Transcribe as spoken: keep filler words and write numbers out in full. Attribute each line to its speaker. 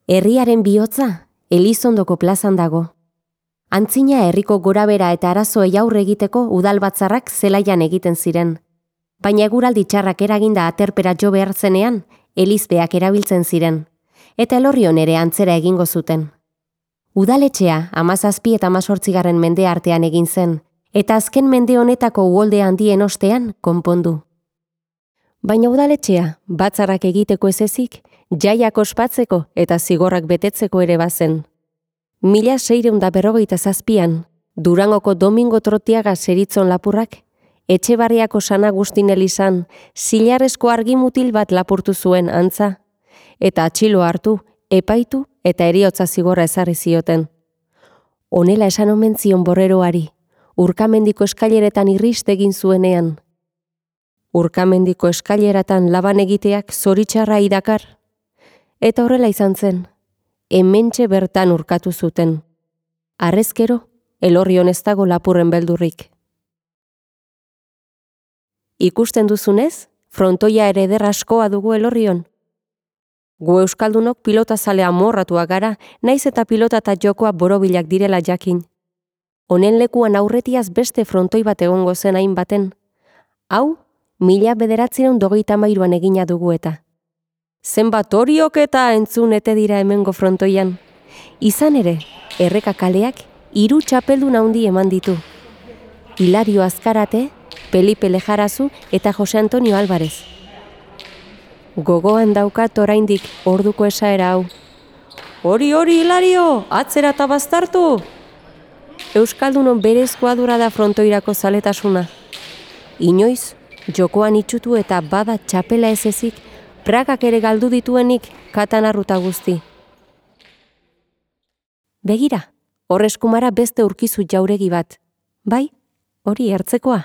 Speaker 1: Herriaren bihotza, Elizondoko plazan dago. Antzina herriko gorabera eta arazoei aurre egiteko udalbatzarrak zelaian egiten ziren. Baina eguraldi txarrak eraginda aterpera jo behar zenean, elizbeak erabiltzen ziren, eta Elorrion ere antzera egingo zuten. Udaletxea hamazazpi eta hamazortzigarren mende artean egin zen, eta azken mende honetako uholde handien ostean konpondu. Baina udaletxea batzarrak egiteko ez ezik, jaiak ospatzeko eta zigorrak betetzeko ere bazen. Mila seiehun eta berrogeita zazpian, Durangoko Domingo Trotiaga zeritzon lapurrak, Etxebarriako San Agustin elizan zilarrezko argimutil bat lapurtu zuen antza, eta atxilo hartu, epaitu eta heriotza zigorra ezarri zioten. Honela esan omen zion Borreroari, Urkamendiko eskaileretan irrist egin zuenean. Urkamendiko eskaileratan laban egiteak zoritxarra idakar, eta horrela izan zen, hementxe bertan urkatu zuten. Harrezkero, Elorrion ez dago lapurren beldurrik. Ikusten duzunez, frontoia ere eder askoa dugu Elorrion. Gu euskaldunok pilotazale amorratuak gara, naiz eta pilota eta jokoa borobilak direla jakin. Honen lekuan aurretiaz beste frontoi bat egongo zen hain baten. Hau, mila bederatziehun dogeita hamairuan egina dugu eta. Zenbat horiok eta entzun ete dira hemengo frontoian. Izan ere, erreka kaleak hiru txapeldun handi eman ditu. Hilario Azkarate, Felipe Lejarazu eta Jose Antonio Álvarez. Gogoan daukat oraindik orduko esaera hau. Hori hori Hilario, atzera eta baztartu! Euskaldunon berezkoa dura da frontoirako zaletasuna. Inoiz, jokoan itxutu eta bada txapela ez ezik, Pragak ere galdu dituenik katanarruta guzti. Begira, hor eskumara beste urkizu jauregi bat. Bai, hori ertzekoa.